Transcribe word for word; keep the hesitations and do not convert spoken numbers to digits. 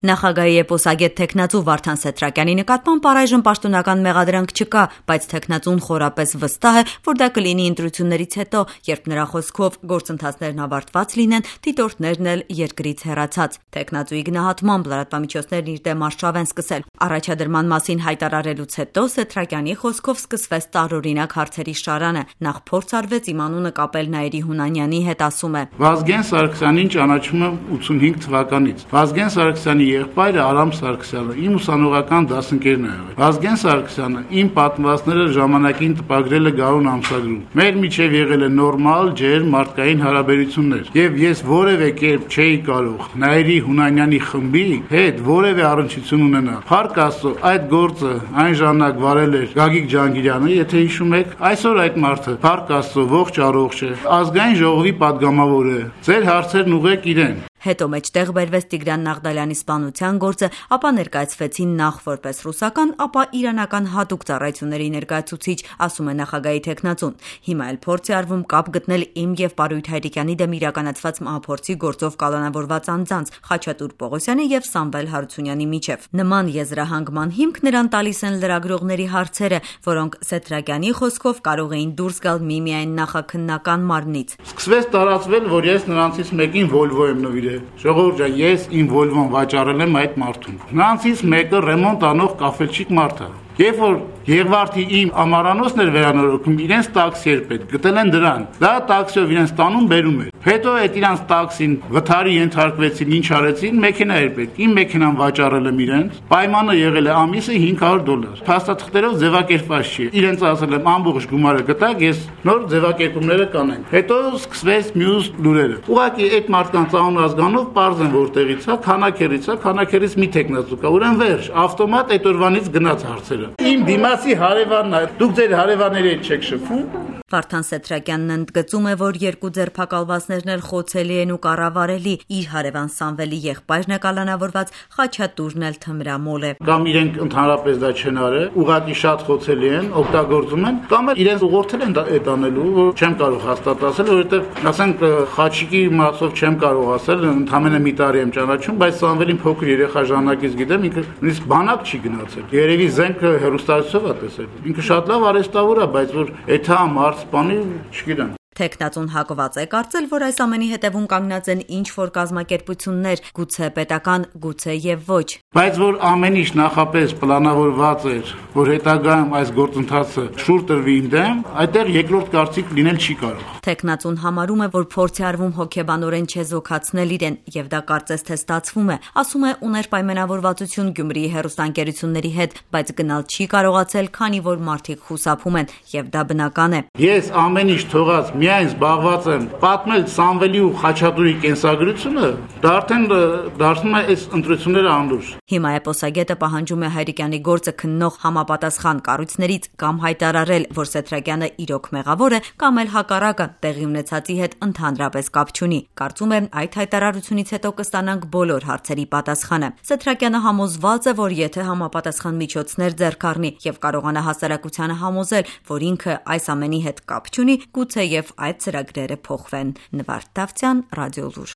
Նախագահի էպոսագետ թեկնածու Վարդան Սեթրակյանի նկատմամբ առայժմ պաշտոնական մեղադրանք չկա, բայց թեկնածուն խորապես վստահ է, որ դա կլինի ընտրություններից հետո, երբ նրա խոսքով գործընթացներն ավարտված լինեն, դիտորդներն էլ երկրից հեռացած։ Թեկնածուի գնահատմամբ լրատվամիջոցներն իր դեմ արշավ են սկսել։ Առաջադրման մասին հայտարարելուց հետո Սեթրակյանի խոսքով սկսվեց տարօրինակ հարցերի շարանը։ Նախ փորձ արվեց իմ անունը կապել Նաիրի Հունանյանի հետ, ասում է. Վազգեն Սարգսյանին ճանաչում եմ ութսունհինգ թվականից։ Վազգեն Սարգսյանի եղբայրը Արամ Սարգսյանը իմ ուսանողական դասընկերն է եղել։ Վազգեն Սարգսյանը իմ պատմվածքները ժամանակին տպագրել է Գարուն ամսագրում։ Մեր միջև եղել է նորմալ, ջերմ մարդկային հարաբերություններ, եւ ես որևէ կերպ չէի կարող Նաիրի Հունանյանի խմբի հետ որևէ առնչություն ունենալ։ Փառք Աստծո, այդ գործը այն ժամանակ վարել էր Գագիկ Ջանգիրյանը, եթե հիշում եք, այսօր այդ մարդը փառք Աստծո ողջ առողջ է, ազգային ժողովի падգամավոր է։ Ձեր հարցերն ուղեք իրեն։ Հետո մեջտեղ բերվեց Տիգրան Նաղդալյանի սպանության գործը, ապա ներկայացվեցին նախ որպես ռուսական, ապա իրանական հատուկ ծառայությունների ներկայացուցիչ, ասում է նախագահի թեկնածուն։ Հիմա էլ փորձ է արվում կապ գտնել իմ եւ Պարույթ Հայրիկյանի դեմ իրականացված մահափորձի գործով կալանավորված անձանց Խաչատուր Պողոսյանի եւ Սամվել Հարությունյանի միջև։ Նման եզրահանգման հիմք նրան տալիս են լրագրողների հարցերը, որոնք Սեթրակյանի խոսքով կարող էին դուրս գալ միմիայն նախաքննական մարմնից։ Սկսվեց տարածվել, որ ես նրանցից մեկին Volvo եմ նվիրել։ Ժողովուրդ ջան, ես իմ Volvo-ն վաճառել եմ այդ մարդուն։ Նրանցից մեկը ռեմոնտ անող կաֆելչիկ մարդ է։ Երբ որ Եղվարդի իմ ամարանոցն էր վերանորոգում, իրենց տաքսի էր պետք, գտել են դրան։ Դա տաքսիով իրենց տանում բերում էր։ Հետո այդ իրանց տաքսին վթարի ենթարկվեցին, ինչ արեցին, մեքենա էր պետք։ Իմ մեքենան վաճառել եմ իրենց։ Պայմանը եղել է ամիսը հինգ հարյուր դոլար։ Փաստաթղթերով ձևակերպված չի։ Իրենց ասել եմ ամբողջ գումարը գտակ, ես նոր ձևակերպումները կանեմ։ Հետո սկսվեց մյուս լուրերը։ Ուղղակի այդ մարդկանց անուն ազգանով պարզ են որտեղից է, քանակերից է, քանակերից մի տեխնացու կա, ուրեմն վերջ, ավտոմատ այդ օրվանից գնաց հարցերը։ Իմ դիմացի հարևանն է, դուք ձեր հարևանների հետ չեք շփվում։ Վարդան Սեթրակյանն ընդգծում է, որ երկու ձերբակալվածներն էլ խոցելի են ու կառավարելի, իր հարևան Սամվելի եղբայրն է կալանավորված, Խաչատուրն էլ թմրամոլ է։ Կամ իրենք ընդհանրապես դա չեն արել, ուղղակի շատ խոցելի են, օգտագործում են, կամ էլ իրենց ուղղորդել են այդ անելու, որ չեմ կարող հաստատ ասել, որովհետև ասենք Խաչիկի մասով չեմ կարող ասել, ընդամենը մի տարի եմ ճանաչում, բայց Սամվելին փոքր երեխա ժամանակից գիտեմ, ինքը նույնիսկ բանակ չի գնացել։ Երևի զենքը հեռուստացիով է տեսել։ Ինքը շատ լավ արեստավոր է, բայց որ էթամ Սպանի չգիտեմ։ Թեկնածուն հակված է կարծել, որ այս ամենի հետևում կանգնած են ինչ-որ կազմակերպություններ, գուցե պետական, գուցե եւ ոչ։ Բայց որ ամեն ինչ նախապես պլանավորված էր, որ հետագայում այս գործընթացը շուռ տրվի իմ դեմ, այդտեղ երկրորդ կարծիք լինել չի կարող։ Թեկնածուն համարում է, որ փորձ է արվում հոգեբանորեն չեզոքացնել իրեն, եւ դա կարծես թե ստացվում է։ Ասում է, ուներ պայմանավորվածություն Գյումրիի հեռուստաընկերությունների հետ, բայց գնալ չի կարողացել, քանի որ մարդիկ խուսափում են, եւ դա բնական է։ Ես ամեն ինչ թողած միայն զբաղված եմ պատմել Սամվելի ու Խաչատուրի կենսագրությունը, դա արդեն դարձնում է այս ընտրությունները անլուրջ։ Հիմա էպոսագետը պահանջում է Հայրիկյանի գործը քննող համապատասխան կառույցներից կամ հայտարարել, որ Սեթրակյանը իրոք մեղավոր է, կամ էլ հակառակը տեղի ունեցածի հետ ընդհանրապես կապ չունի։ Կարծում եմ, այդ հայտարարությունից հետո կստանանք բոլոր հարցերի պատասխանը։ Սեթրակյանը համոզված է, որ եթե համապատասխան միջոցներ ձեռք առնի եւ կարողանա հասարակությանը համոզել, որ ինքը այս ամենի հետ կապ չունի, գուցե եւ այդ ծրագրերը փոխվեն։ Նվարդ Դավթյան, Ռադիոլուր։